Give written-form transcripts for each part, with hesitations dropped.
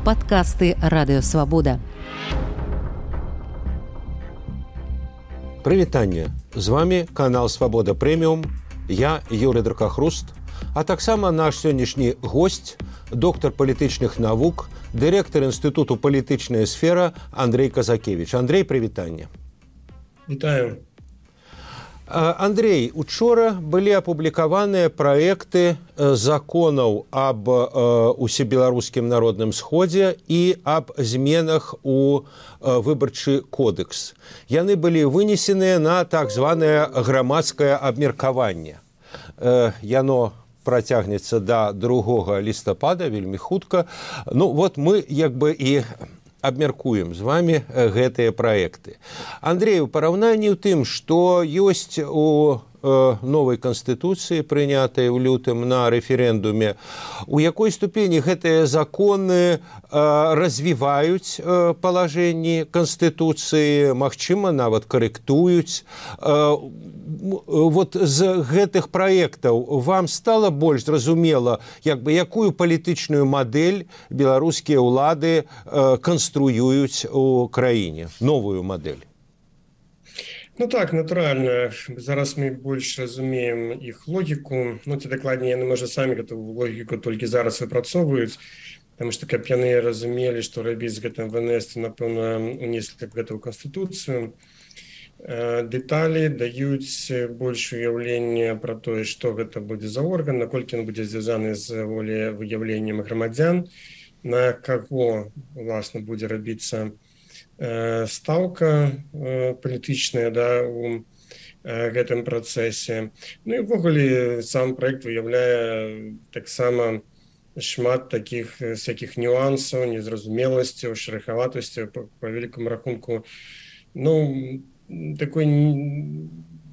Падкасты Радыёвабода. Прывітанне! З вами канал «Свабода Прэміум». Я Юрый Дракахруст, а таксама наш сённяшні госць, доктар палітычных навук, дырэктар Інстытуту «Палітычная сфера» Андрей Казакевич. Андрей, прывітанне. Вітаю. Андрей, учора былі апублікаваныя праекты законаў аб усебеларускім народным сходзе і аб зменах у выбарчы кодекс. Яны былі вынесеныя на так званае грамадскае абмеркаванне. Яно працягнецца до 2 лістапада, вельмі хутка. Ну вот мы як бы і абмяркуем з вами гэтыя праекты. Андрей, у параўнанні ў тым, што ёсць у новай канстытуцыі, прынятай у лютым на рэферэндуме, у якой ступені гэтыя законы развіваюць палажэнні канстытуцыі, магчыма, нават карэктуюць. Вот з гэтых праектаў вам стала больш зразумела, якую палітычную мадэль беларускія ўлады канструююць у краіне, новую мадэль? Ну так, натуральна. Зараз мы больш разумеем іх логіку. Ну, ці дакладней, яны, можа, самі гэту логіку толькі зараз выпрацоўваюць, таму што, каб яны разумелі, што рабіць з гэтым ВНС, напэўна, унеслі б гэта ў Канстытуцыю. Дэталі даюць больш уяўлення пра тое, што гэта будзе за орган, наколькі ён будзе звязаны з волевыяўленнем грамадзян, на каго, уласна, будзе рабіцца стаўка палітычная, у гэтым працэсе. Ну і ўвогуле сам праект выяўляе таксама шмат такіх всякіх нюансаў, незразумеласцяў, шэрахаватасцяў, па вялікаму рахунку. Ну, такой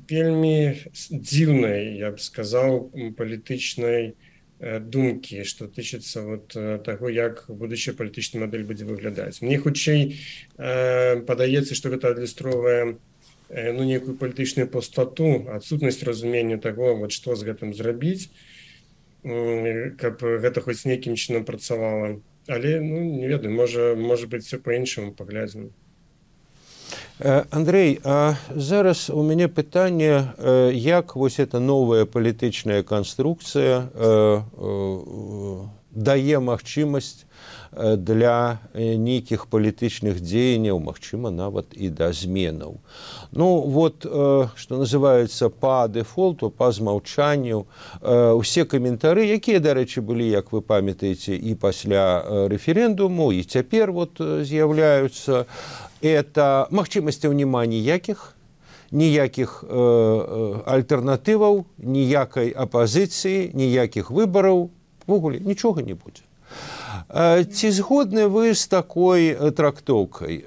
вельмі дзіўнай, я б сказаў, палітычнай думкі, што тычыцца таго, як будучая палітычная мадэль будзе выглядаць. Мне хутчэй падаецца, што гэта адлюстроўвае нейкую палітычную пустоту, адсутнасць разумення таго, што з гэтым зрабіць, каб гэта хоць нейкім чынам працавала. Але, не ведаю, можа быць, все па-іншаму, паглядзім. Андрей, а зараз у мяне пытанне, як вось эта новая палітычная канструкцыя дае магчымасць для нейкіх палітычных дзеянняў, магчыма, нават і да зменаў. Ну, вот, што называецца па дэфолту, па змаўчанню, усе каментары, якія, дарэчы, былі, як вы памятаеце, і пасля рэферэндуму, і цяпер вот з'яўляюцца, это магчымасцяў няма ніякіх альтэрнатываў, ніякай апазіцыі, ніякіх выбараў, увогуле нічога не будзе. Ці згодны вы з такой трактоўкай?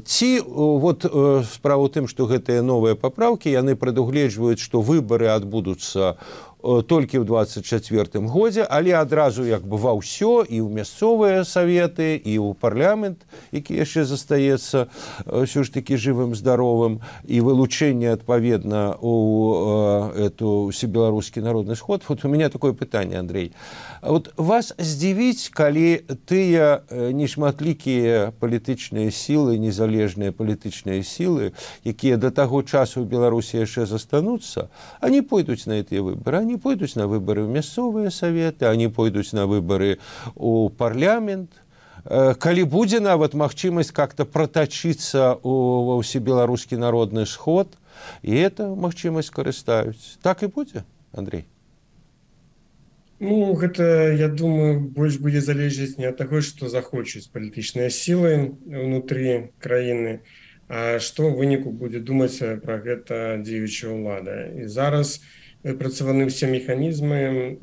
Ці вот справа ў тым, што гэтыя новыя папраўкі, яны прадугледжваюць, што выбары адбудуцца толькі ў 24-м годзе, але адразу як бы ва ўсё, і ў мясцовыя саветы, і ў парламент, які яшчэ застаецца ўсё ж такі жывым, здаровым, і вылучэнне адпаведна ў усебеларускі народны сход. Вот у меня такое пытанне, Андрей. Вот вас здзівіць, калі тыя нешматлікія палітычныя сілы, незалежныя палітычныя сілы, якія да таго часу ў Беларусі яшчэ застануцца, они пойдуць на гэтыя выбары, они пойдуць на выбары ў мясцовыя саветы, они пойдуць на выбары ў парламент. Калі будзе нават магчымасць как-то протачыцца ва ўсебеларускі народны сход, і это магчымасць карыстаюць. Так і будзе, Андрей? Ну, гэта, я думаю, больш будзе залежаць не ад таго, што захочуць палітычныя сілы ўнутры краіны, а што ў выніку будзе думаць пра гэта дзеючая ўлада. І зараз выпрацаваны ўсе механізмы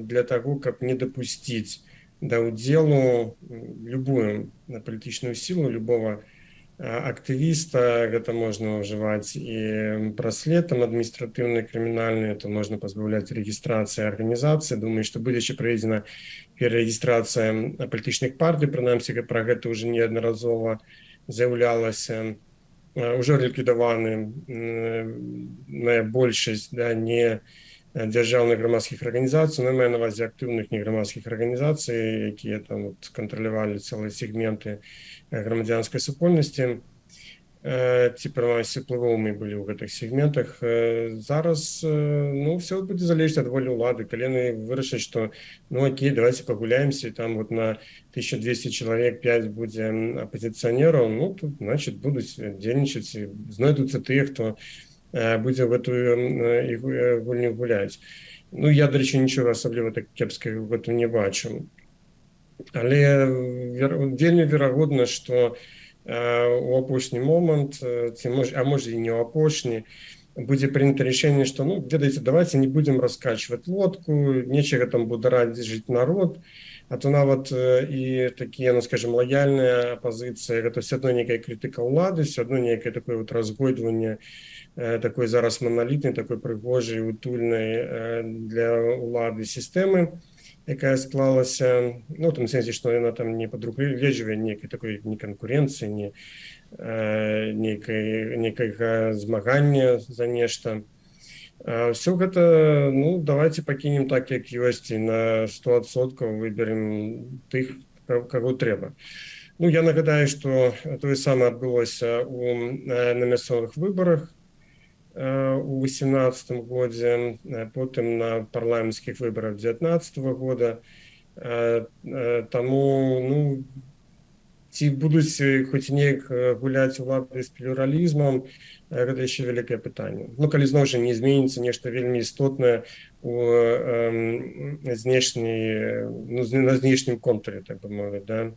для таго, каб не дапусціць да ўдзелу любую палітычную сілу, любого актывіста. Гэта можна ўжываць і праслед адміністратыўны, крымінальны, то можна пазбаўляць рэгістрацыі арганізацыі. Думаю, што будзе яшчэ праведзена перарэгістрацыя палітычных партый, прынамсі пра гэта ўжо неаднаразова з'яўлялася. Уже ліквідаваны большасць не дзяржаўных грамадскіх арганізацый, мае на ўвазе актыўных неграмадскіх арганізацый, якія там кантралявалі цэлыя сегменты грамадзянскай супольнасці, ці прынамсі уплывовымі былі ў гэтых сегментах. Зараз все будзе залежаць ад волі ўлады. Калі яны вырашаць, што окей, давайте пагуляемся, там на 1200 чалавек 5 будзе апозіцыянераў, тут значит будуць дзейнічаць, знойдуцца тыя, хто будзе в гэтую гульню гуляць. Я, дарэчы, нічога асабліва так кепскага в гэтым не бачу. Але вельмі верагодна, што у апошні момант, а можа і не ў апошні, будзе прынята рашэнне, што ведаеце, давайте не будзем раскачваць лодку, нечага там бударадзіць жыць народ, а то нават і такія, скажем, лаяльная апазіцыя, гэта все адно нейкая крытыка ўлады, все адно нейкае такое разгойдванне такой зараз маналітнай, такой прыгожай, утульнай для ўлады сістэмы, якая склалася, в том сенсе, што яна там не падругледжвае нейкай такой не канкурэнцыі, не нейкага змагання за нешта. Все гэта, давайте пакінем так, як ёсць, і на 100% выберем тых, каго трэба. Я нагадаю, што тое самае адбылося на мясцовых выбарах у 2018 годзе, потым на парламенцкіх выбарах 2019 года. Таму, ці будуць хоць неяк гуляць улады з плюралізмам, гэта яшчэ вялікае пытанне. Калі зноў жа не зменіцца нешта вельмі істотнае на знешнім контуры, так бы мовіць, да?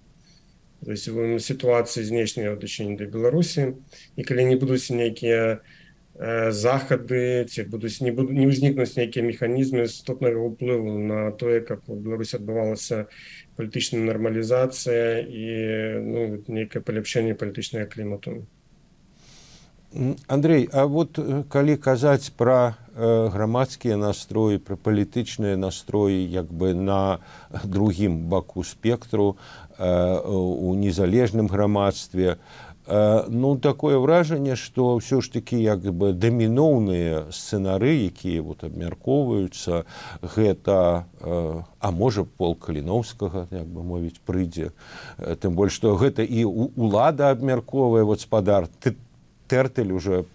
То есть сітуацыі знешняй ў дачыненні да Беларусі, і калі не будуць нейкія захады, ці не ўзнікнуць нейкія механізмы істотнага ўплыву на тое, каб у Беларусі адбывалася палітычная нармалізацыя і нейкае паляпшэнне палітычнага клімату. Андрей, а калі казаць пра грамадскія настроі, пра палітычныя настроі на другім баку спектру у незалежным грамадстве, такое ўражанне, што ўсё ж такі даміноўныя сцэнары, якія абмяркоўваюцца, гэта, а можа, Пол Каліноўскага, як бы мовіць, прыйдзе. Тым больш, што гэта і ўлада абмяркоўвае, спадар Тэртэль уже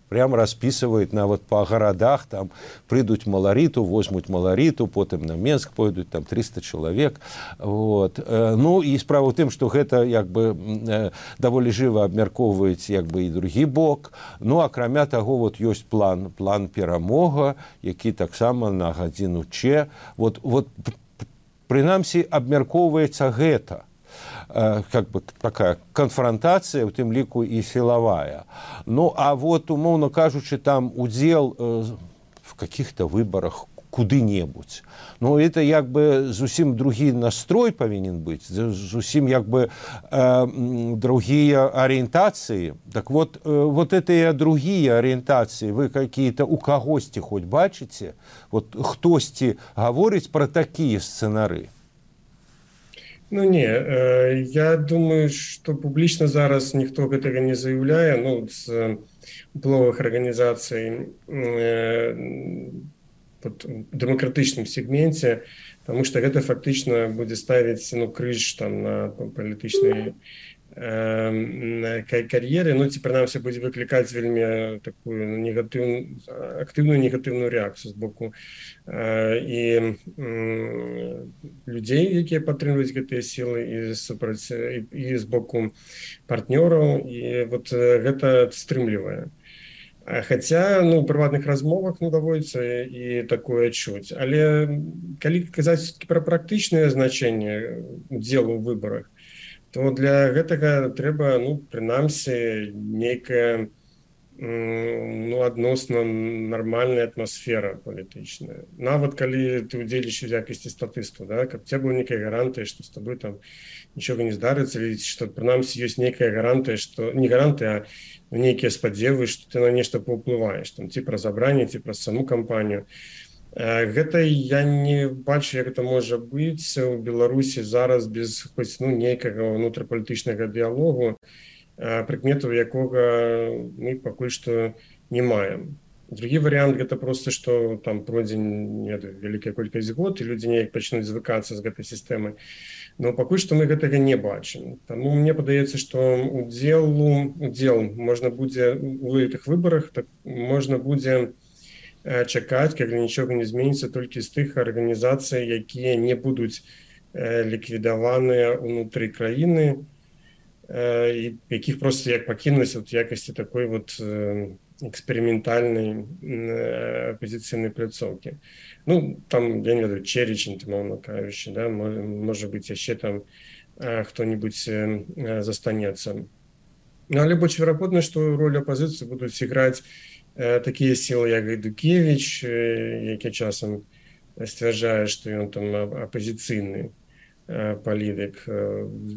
прям распісваюць нават па гарадах, там прыйдуць маларіту, возьмуць маларіту, потым на Менск пойдуць, там 300 чалавек. І справа ў тым, што гэта даволі жыва абмяркоўваюць і другі бок. Акрамя таго, ёсць план перамога, які таксама на гадзіну Ч. Прынамсі, абмяркоўваецца гэта. Такая конфронтация, у тым ліку і сілавая. Умоўно кажучы, там удзел в каких-то выборах куды-небудзь. Это зусім другі настрой павінен быць, зусім другія арыентацыі. Так этыя другія арыентацыі вы какие-то у кагосьці хоць бачыце? Хтосьці гаворыць пра такія сцэнары? Не, я думаю, што публічна зараз ніхто гэтага не заяўляе, з уплывовых арганізацый в дэмакратычным сегменце, таму што гэта фактычна будзе ставіць крыж на палітычнай кар'еры, ці прынамсі будзе выклікаць вельмі такую актыўную негатыўную рэакцыю з боку і людзей, якія падтрымліваюць гэтыя сілы, і з боку партнёраў, і гэта стрымлівае. Хаця у прыватных размовах даводзіцца і такое чуць. Але калі казаць пра практычнае значэнне удзелу ў выбарах, то для гэтага трэба, прынамсі, нейкая адносна нармальная атмасфера палітычная. Нават калі ты ўдзельнічаеш у якасці статысту, каб цябе была нейкая гарантыя, што з табой там нічога не здарыцца, што прынамсі ёсць нейкая гарантыя, што не гарантыя, а нейкія спадзевы, што ты на нешта паўплываеш, ці праз абранне, ці праз саму кампанію. Гэта я не бачу, як гэта можа быць у Беларусі зараз без хоць нейкага ўнутрапалітычнага дыялогу, прыкметаў якога мы пакуль што не маем. Другі варыянт гэта просто што там пройдзе вялікая колькасць год і людзі неяк пачнуць звыкацца з гэтай сістэмай. Но пакуль што мы гэтага не бачым. Таму мне падаецца, што удзел можна будзе у гэтых выбарах, так можна будзе чакаць, калі нічога не зменіцца толькі з тых арганізацый, якія не будуць ліквідаваныя ўнутры краіны, і якіх проста як пакінулася ў якасці такой вот эксперыментальнай апозіцыйнай пляцоўкі. Ну, там, я не ведаю, Черечень, умоўна кажучы, да, можа быць, яшчэ там хто-нибудь застанецца. Ну, але больш верагодна, што ролю апазіцыі будуць іграць такія сілы, як Гайдукевіч, які часам сцвярджае, што ён там апазіцыйны палітык.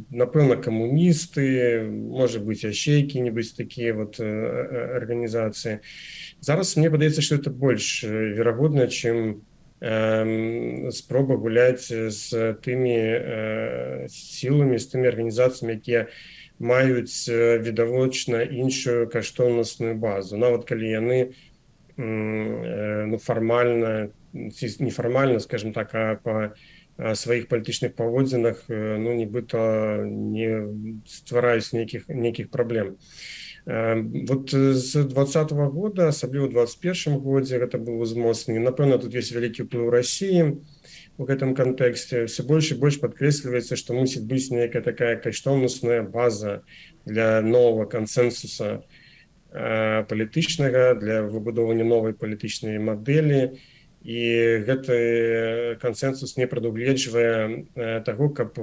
Напэўна, камуністы, можа быць, яшчэ якія-небудзь такія вот арганізацыі. Зараз мне падаецца, што это больш верагодна, чым спроба гуляць з тымі сіламі, з тымі арганізацыямі, якія маюць відавочна іншую каштоўнасную базу. Нават калі яны фармальна, нефармальна, скажем так, а па сваіх палітычных паводзінах, нібыта не ствараюць нейкіх праблем. Вот з 2020 года, асабліва ў 2021 годзе, гэта быў узмоцнены. Напэўна, тут ёсць вялікі ўплыў Расіі у гэтым кантэксце. Все больш і больш падкрэсліваецца, што мусіць быць нейкая такая каштоўнасная база для новага кансэнсуса палітычнага, для выбудовання новай палітычнай мадэлі. І гэты кансэнсус не прадугледжвае таго, каб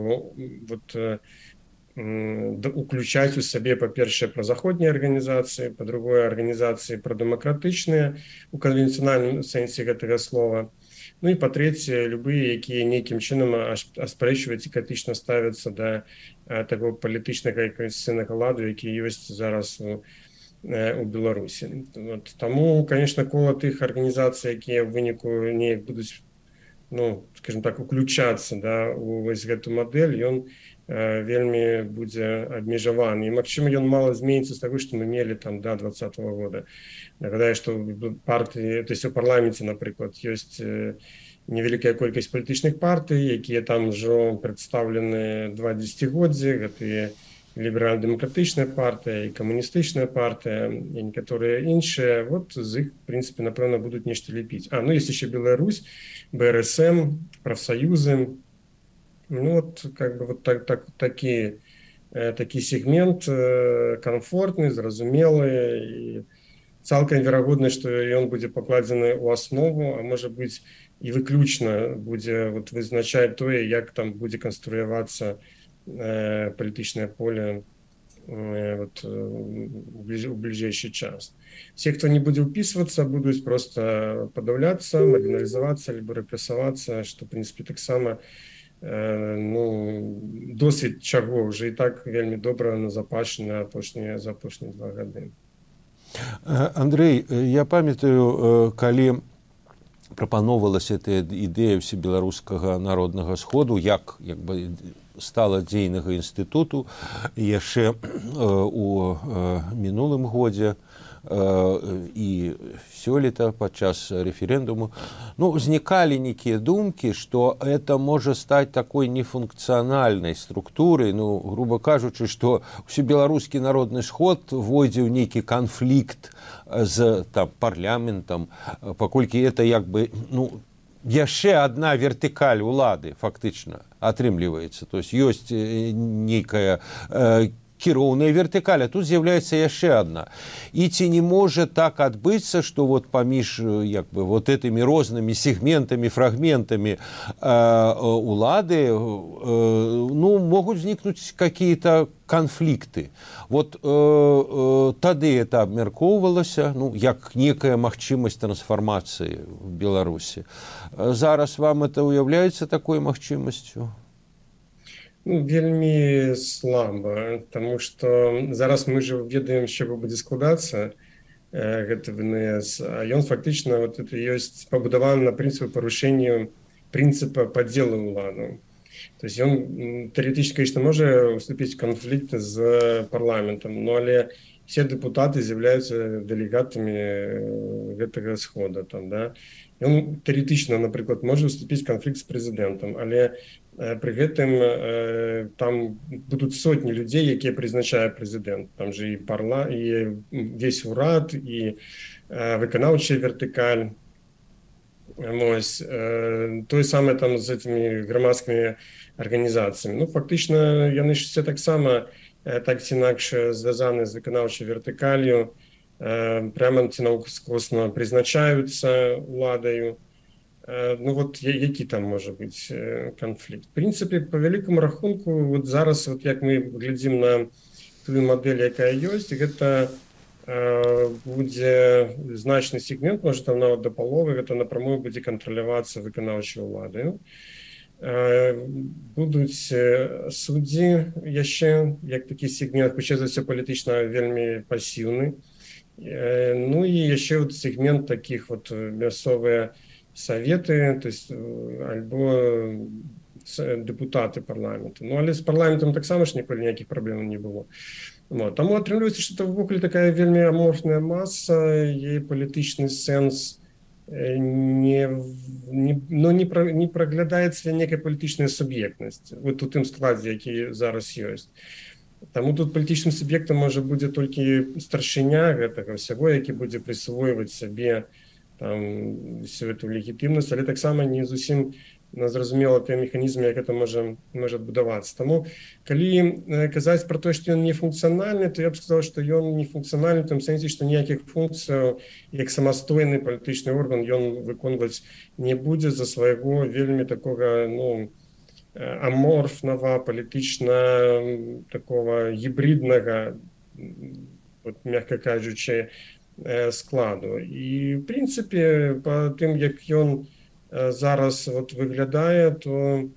уключаць у сабе, па-першае, празаходнія арганізацыі, па-другое, арганізацыі прадэмакратычныя у канвенцыянальным сэнсе гэтага слова. Ну і па-трэцяе, любыя, якія нейкім чынам аспрэчваюць і крытычна ставяцца да таго палітычнага і канстытуцыйнага ладу, які ёсць зараз у Беларусі. Таму, конечно, кола тых арганізацый, якія ў выніку неяк будуць, скажем так, уключацца, да, у вось гэту мадэль, ён вельмі будзе абмежаваны. І, магчыма, ён мала зменіцца з таго, што мы мелі там да 2020 года. Нагадаю, што партыі, то есть у парламенце, напрыклад, ёсць невялікая колькасць палітычных партый, якія там ўжо прадстаўлены 2 дзесяцігоддзі, гэтыя ліберальна-дэмакратычная партыя і камуністычная партыя, і некаторыя іншыя, вот з іх, в прынцыпе, напэўна, будуць нешта лепіць. Ёсць яшчэ Беларусь, БРСМ, прафсаюзы. Как бы вот такі сегмент комфортны, зразумелы, і цалкам верагодна, што ён будзе пакладзены ў аснову, а можа быць і выключна будзе вызначаць тое, як там будзе канструявацца палітычнае поле у бліжэйшы час. Все, хто не будзе ўпісвацца, будуць просто падаўляцца, маргіналізавацца, либо рэпрэсавацца, што, в прынцыпе, таксама досвід чаго ўжо і так вельмі добра назапашаны за апошнія 2 гады. Андрей, я памятаю, калі прапаноўвалася эта ідэя ўсебеларускага народнага сходу, як бы стала дзейнага інстытуту яшчэ у мінулым годзе і сёлета падчас рэферэндуму. Узнікалі нейкія думкі, што это можа стаць такой нефункцыянальнай структурай, грубо кажучы, што ўсебеларускі народны сход войдзе ў нейкі канфлікт з парламентам, паколькі это як бы, яшчэ адна вертыкаль улады фактычна атрымліваецца. То есть ёсць нейкая кіроўная вертыкаль, а тут з'яўляецца яшчэ адна. І ці не можа так адбыцца, што паміж як бы этымі рознымі сегментамі, фрагментамі улады могуць узнікнуць какие-то конфликты. Тады это абмяркоўвалася, як некая магчымасць трансфармацыі в Беларусі. Зараз вам это уяўляецца такой магчымасцю? Вельмі слаба, таму што зараз мы ж ведаем, з чаго будзе складацца гэты ВНС, а ён фактычна это ёсць пабудаваны на прынцыпе парушэння прынцыпа падзелу ўладу. То есть ён тэоретычна, конечно, можа уступіць канфлікт з парламентам, но але все дэпутаты з'яўляюцца дэлегатамі гэтага схода там, да. Ён тэоретычна, напрыклад, можа уступіць канфлікт з прэзідэнтам, але пры гэтым там будуць сотні людзей, якія прызначае прэзідэнт. Там же і весь урад, і выканаўчая вертыкаль. Вось, тое самае там з этими грамадскімі арганізацыямі. Ну, фактычна, яны ж все таксама так ці інакш звязаны з выканаўчай вертыкалью, прямо ці наўскосна прызначаюцца уладаю. Ну, вот які там можа быць канфлікт? В прынцыпе, по вялікаму рахунку, вот зараз, вот як мы глядзім на тую мадэль, якая ёсць, гэта будзе значны сегмент, можа там нават да паловы, гэта напрамую будзе кантралявацца выканаўчай уладаю. Будуць суддзі яшчэ, як такі сегмент, хутчэй за ўсё палітычна вельмі пасіўны. Ну і яшчэ вот сегмент такіх вот мясцовыя саветы, то есть альбо дэпутаты парламенту. Ну, але з парламентам таксама ж ніколі ніякіх праблем не было. Вот. Таму атрымліваецца, што это ўвогуле такая вельмі аморфная маса, яе палітычны сэнс не праглядаецца некая палітычная суб'ектнасць вот у тым складзе, які зараз ёсць. Таму тут палітычным суб'ектам можа будзе толькі старшыня гэтага ўсяго, які будзе прысвойваць сабе там всю эту легітымнасць, але таксама не зусім зразумела тыя механізмы, як это можа адбудавацца. Таму, калі казаць пра тое, што ён не функцыянальны, то я б сказаў, што ён не функцыянальны в тым сэнсе, што ніякіх функцыяў як самастойны палітычны орган ён выконваць не будзе за свайго вельмі такога, ну, аморфнага, палітычна такого гібриднага, вот, мягка кажучы, складу. І, в прынцыпе, па тым, як ён зараз вот выглядае, то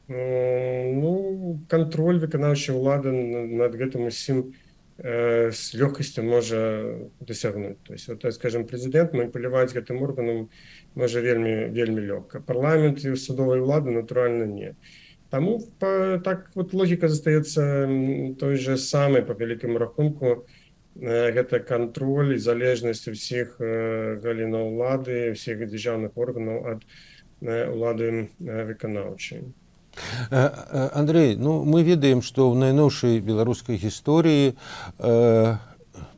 ну, кантроль выканаўчай улады над гэтым усім з лёгкасцю можа дасягнуць. То есть, вот, скажем, прэзідэнт маніпуляваць гэтым органам можа вельмі лёгка. Парламент і судовай улады, натуральна, не. Таму так вот логіка застаецца той же самай, па вялікаму рахунку, гэта кантроль і залежнасць усіх галінаў улады, всіх дзяржаўных органаў ад улады выканаўчай. Андрей, ну, мы ведаем, што ў найноўшай беларускай гісторыі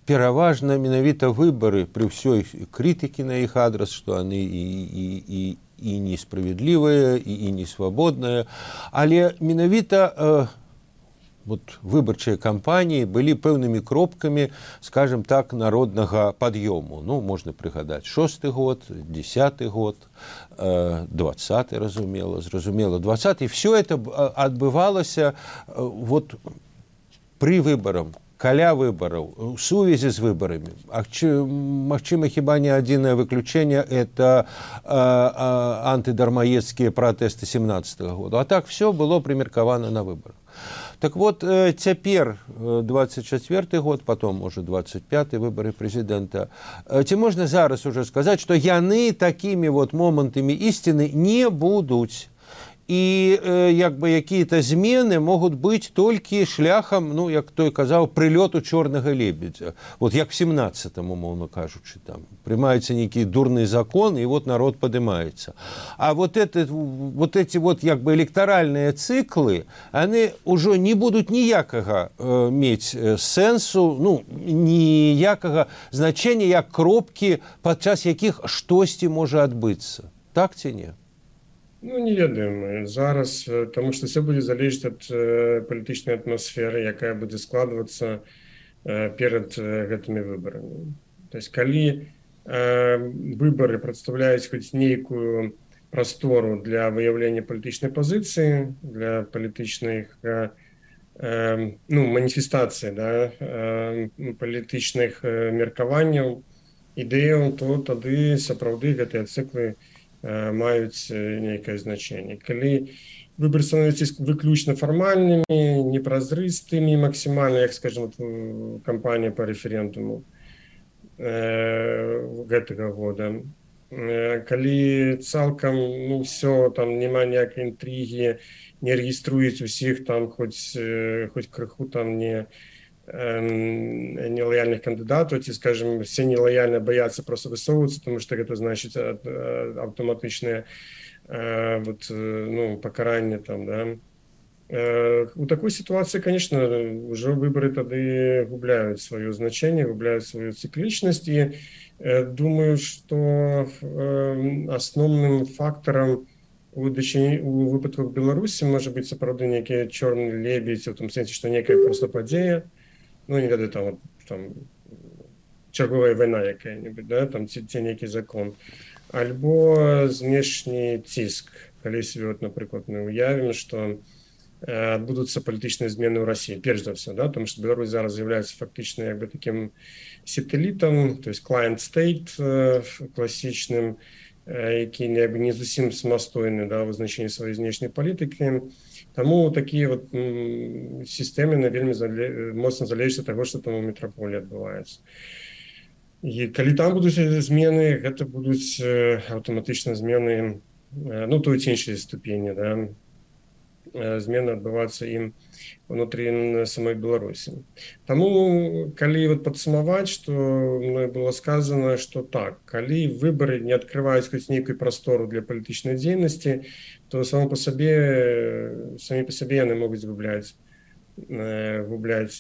пераважна менавіта выбары пры ўсёй крытыкі на іх адрас, што яны і несправядлівыя, і несвабодныя, але менавіта вот выбарчыя кампаніі былі пэўнымі кропкамі, скажем так, народнага пад'ёму. Ну, можна прыгадаць 6-й год, 10-й год, 20-й, зразумела, 20-й. Все это адбывалася вот пры выбарам, каля выбараў, у сувязі з выбарамі. Магчыма, хіба не адзінае выключэнне – это антыдармаедскія пратэсты 17-го года. А так все было прымеркавана на выбарах. Так вот, цяпер 24-й год, потом, может, 25-й выборы президента. Ці можна зараз уже сказать, что яны такими вот моментами истины не будут. І як бы якія-то змены могуць быць толькі шляхам, ну, як той казаў, прылёту чорнага лебедзя. Вот як в 17-м, умоўно кажучы, там прымаецца нейкі дурны закон, і вот народ падымаецца. А вот эти вот як бы электаральныя цыклы, яны ўжо не будуць ніякага мець сэнсу, ну, ніякага значення, як кропкі, падчас якіх штосьці можа адбыцца. Так ці не? Ну, не ведаем зараз, тому што все будзе залежаць ад палітычнай атмасферы, якая будзе складвацца перад гэтымі выбарамі. То есть, калі выбары прадстаўляюць хоць нейкую прастору для выяўлення палітычнай пазіцыі, для палітычных маніфестацый, да, палітычных меркаванняў, ідэяў, то тады сапраўды гэтыя цыклы маюць нейкае значэнне. Калі выбары становяцца выключна фармальнымі, непразрыстымі максімальна, як, скажем, кампанія па рэферэндуму гэтага года, калі цалкам ну все там няма ніякай інтрыгі, не рэгіструюць усіх там хоць крыху там нелояльных кандыдатаў, ці скажем все нелояльна баяцца просто высоўвацца, тому что гэта значыць аўтаматычнае ну пакаранне там, да. У такой ситуации, конечно, уже выборы тады губляют свое значение, губляют свою цикличность. И думаю, что основным фактором у выпадках Беларуси может быть сапраўды некий черный лебедь, в том смысле, что некая просто падзея, ну, не ведаю, там, там черговая война какая-нибудь, да, там ці некий закон, альбо знешні ціск, калі себе, вот, например, мы уявим, что адбудуцца палітычныя змены ў России, перш за все, да, потому что Беларусь зараз з'яўляецца фактычна як бы таким сателлітам, то есть client state класічным, які не зусім самастойны, да, ў вызначэнні сваёй знешняй палітыкі. Таму такія вот сістэмы вельмі моцна залежаць ад таго, што там у метраполі адбываецца. І калі там будуць змены, гэта будуць аўтаматычна змены, ну, той ці іншай ступені, да, змены адбывацца ім внутрі самой Беларусі. Таму, калі вот падсумаваць, што мной было сказано, што так, калі выбары не адкрываюць хоць нейкую прастору для палітычнай дзейнасці, то самі па сабе яны могуць губляць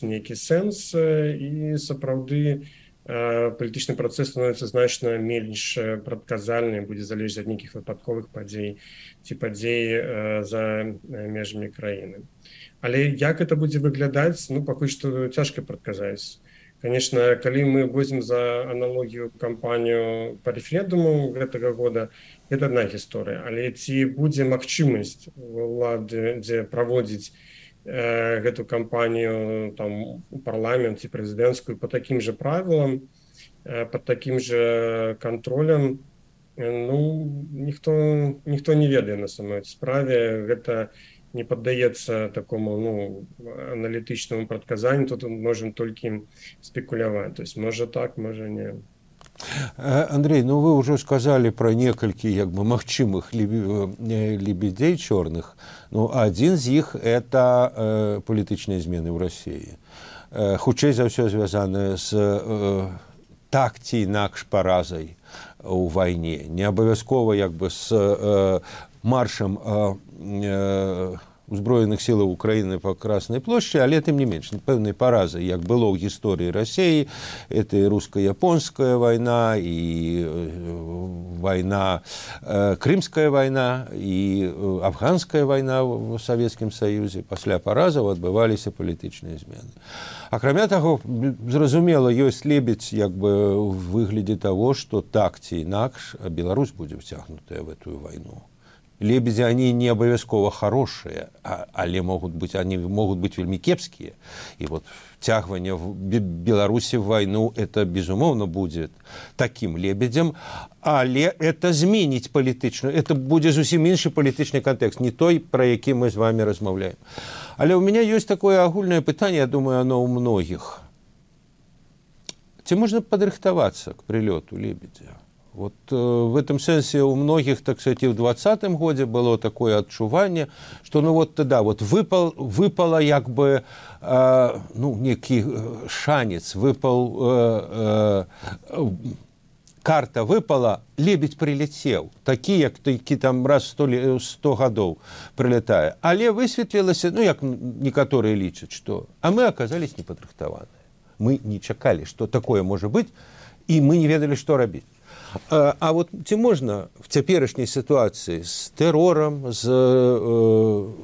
нейкі сэнс, і сапраўды палітычны працэс становіцца значна менш прадказальным, будзе залежаць ад нейкіх выпадковых падзей ці падзей за межамі краіны. Але як это будзе выглядаць, ну, пакуль што цяжка прадказаць. Конечно, калі мы возьмем за аналогію кампанію па рэферэндуму гэтага года, гэта адна гісторыя. Але ці будзе магчымасць улады, дзе праводзіць гэту кампанію там у парламент ці прэзідэнцкую по таким же правилам, под таким же контролем, ну, ніхто не ведае на самой справе. Гэта не паддаецца такому, ну, аналітычнаму прадказанню, тут можем толькі спекуляваць. То есть можа так, можа не. Андрей, ну вы уже сказали про некалькі як бы магчымых лебедей чорных. Ну, один з іх это палітычныя змены ў России. Хутчэй за ўсё звязаныя з так ці інакш паразай у вайне. Не абавязкова як бы з маршам узброеных сілаў Украіны па Краснай плошчы, але тым не менш пэўнай паразай, як было ў гісторыі Расіі. Это і руска-японская вайна, і вайна, крымская вайна, і афганская вайна ў Савецкім Саюзе. Пасля паразаў адбываліся палітычныя змены. Акрамя таго, зразумела, ёсць лебедзь як бы ў выглядзе таго, што так ці інакш Беларусь будзе ўцягнутая в эту вайну. Лебеди, они не обовязково хорошие, але они могут быть вельми кепские. И вот втягивание Беларуси в войну, это, безумовно, будет таким лебедем, але это зменить политичную, это будет зусім іншы политичный контекст, не той, про який мы с вами размовляем. Але у меня есть такое огульное пытание, я думаю, оно у многих. Ці можно подрыхтоваться к прилету лебедя? Вот в этом сенсе у многих, так сказать, и в 2020 году было такое отчувание, что ну вот тогда вот выпало як бы ну, некий шанец, карта выпала, лебедь прилетел, такі, як такі там раз 100 годов прилетая. Але высветлілася, ну, як некоторые лічаць, что а мы оказались неподрыхтаваныя. Мы не чакали, что такое может быть, и мы не ведали, что рабіць. А вот ці можна в цяперашняй сітуацыі з тэрорам, з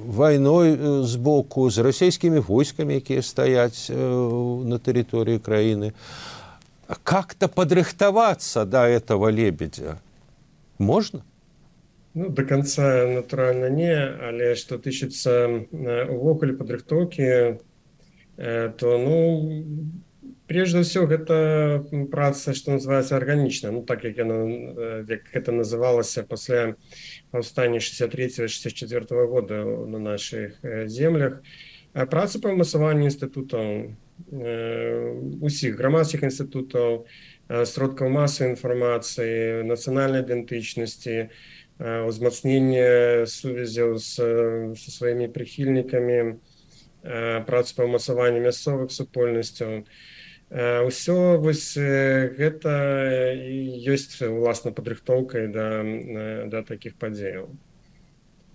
вайной з боку, з расійскімі войскамі, якія стаяць на тэрыторыі краіны, как-то падрыхтавацца до этого лебедя? Можно? Ну, до конца, натуральна, не, але што тычыцца увогуле падрыхтоўкі, то, ну, прежде всего, это праца, что называется, органичная. Ну, так, как это называлось после повстания 63-64 года на наших землях. Праца по ўмацаванню інстытутаў, усіх грамадскіх інстытутаў, сродкаў масавай інфармацыі, нацыянальнай ідэнтычнасці, узмацнення сувязяў са сваімі прыхільнікамі, праца па ўмацаванні мясцовых супольнасцяў. Усё вось гэта ёсць уласна падрыхтоўкай да такіх падзеяў.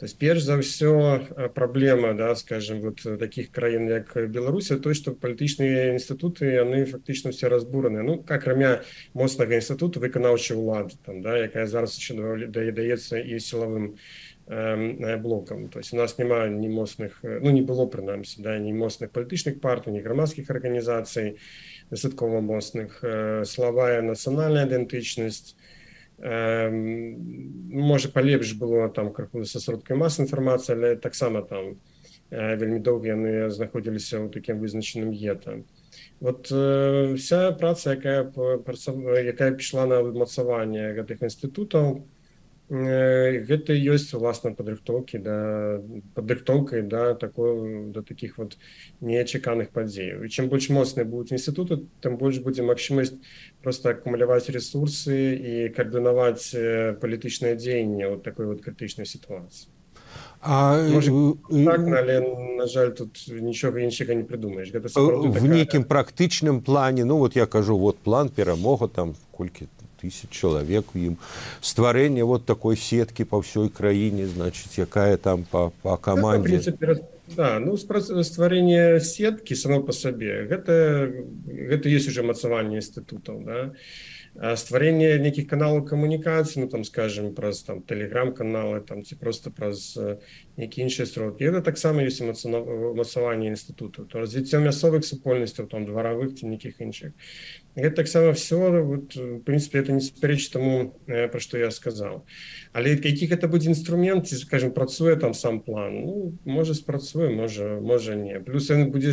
То есть, перш за ўсё, праблема, да, скажем, вот такіх краін, як Беларусь, то, што палітычныя інстытуты, яны фактычна ўсе разбураныя. Ну, акрамя моцнага інстытуту выканаўчай улады, там, да, якая зараз яшчэ даецца і сілавым блокам. То есть, у нас няма ні моцных, ну, не было, прынамсі, да, ні моцных палітычных партый, ні грамадскіх арганізацый, дастаткова моцных. Слабая нацыянальная ідэнтычнасць. Можа, палепш было там крыху са сродкамі масавай інфармацыі, але таксама там вельмі доўга яны знаходзіліся ў такім вызначаным гета. Вот вся праца, якая пішла на ўмацаванне гэтых інстытутаў, гэта ёсць уласна падрыхтоўкай да такіх вот неачаканых падзеяў. І чым больш моцныя будуць інстытуты, тым больш будзе магчымасць проста акумуляваць ресурсы і каардынаваць палітычнае дзеянне ў такой вот крытычнай сітуацыі. Так, але, на жаль, тут нічога іншага не прыдумаеш. В нейкім практычным плане, ну вот я кажу, вот план перамога, там колькі тысяч чалавек у ім, стварэнне вот такой сеткі па ўсёй краіне, значит, якая там па камандзе. Да, ну, стварэнне сеткі само па сабе, гэта ёсць уже мацаванне інстытутаў, да. Стварэнне нейкіх каналаў камунікацыі, ну, там, скажем, праз там тэлеграм-каналы, там, ці проста праз нейкія іншыя сродкі. Гэта таксама ёсць мацаванне інстытуту. То развіццё мясцовых супольнасцяў, там, дваравых ці нейкіх іншых. Гэта таксама все, вот, в принципе, это не супярэчыць таму, пра што я сказаў. Але які гэта будзе інструмент, ці, скажем, працуе там сам план, ну, можа спрацуе, можа не. Плюс ён будзе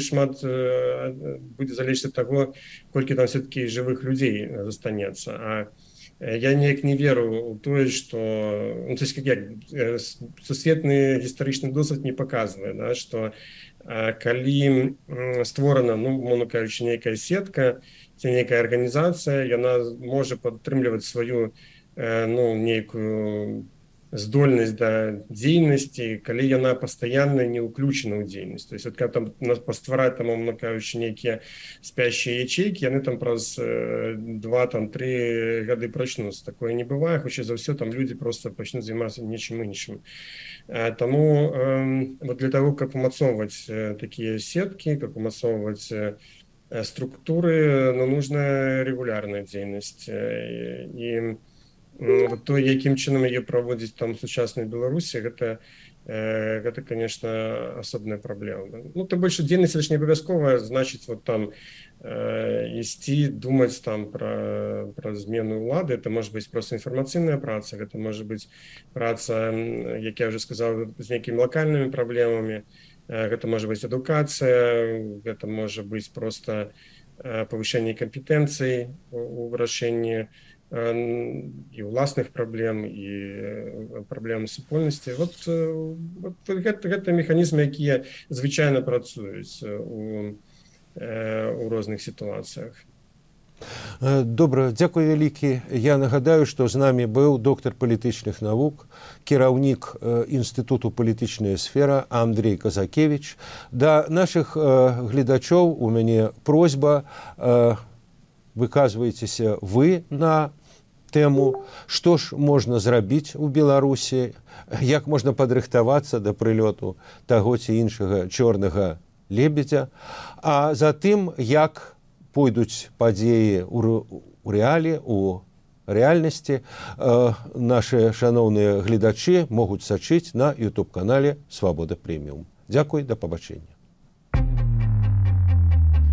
залежыць ад таго, колькі там все-таки жывых людзей застанецца. А я неяк не веру ў тое, што, ну, то есть, як сусветны гістарычны досвед не паказвае, да, што калі створана, ну, мовна кажучы, нейкая сетка, ці нейкая арганізацыя, яна можа падтрымліваць сваю, ну, нейкую здольнасць да дзейнасці, калі яна пастаянна не ўключана ў дзейнасць. То есть, калі там паствараць, там, мовна кажучы, нейкія спящыя ячейкі, яны там праз 2-3 гады прачнуцца. Такое не бывае, хутчэй за ўсё, там людзі проста пачнуць займацца нечым іншым. Таму вот для того, каб умацоўваць такія сеткі, каб умацоўваць структуры, ну, нужна регулярная дзейнасць. І то, якім чынам яе праводзіць там сучаснай Беларусі, гэта, конечно, асобная праблема. Ну, тым больш дзейнасць не абавязкова, значыць, вот там ісці, думаць там пра змену ўлады. Это можа быць проста інфармацыйная праца, гэта можа быць праца, як я ўжо сказаў, з нейкімі лакальнымі праблемамі. Гэта можа быць адукацыя, гэта можа быць проста павышэнне кампетэнцый у вырашэнні і ўласных праблем, і праблем супольнасці. Вот гэта механізмы, якія звычайна працуюць у розных сітуацыях. Добра, дзякуй вялікі. Я нагадаю, што з намі быў доктар палітычных навук, кіраўнік Інстытуту палітычная сфера Андрей Казакевич. Да нашых гледачоў у мяне просьба, выказвайцеся вы на тэму, што ж можна зрабіць у Беларусі, як можна падрыхтавацца да прылёту таго ці іншага чорнага лебедзя, а затым, як пойдуць падзеі ў рэалі, у рэальнасці, нашы шаноўныя гледачы могуць сачыць на YouTube-канале «Свабода Прэміум». Дзякуй, да пабачэння.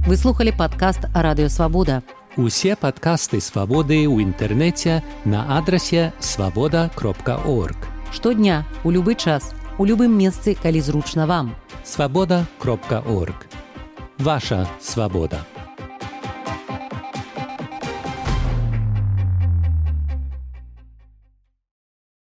Вы слухали падкаст «Радыё Свабода». Усе падкасты «Свабоды» ў інтэрнэце на адрасе свабода.орг. Штодня, у любы час, у любым месцы, калі зручна вам. Свабода.орг. Ваша свабода.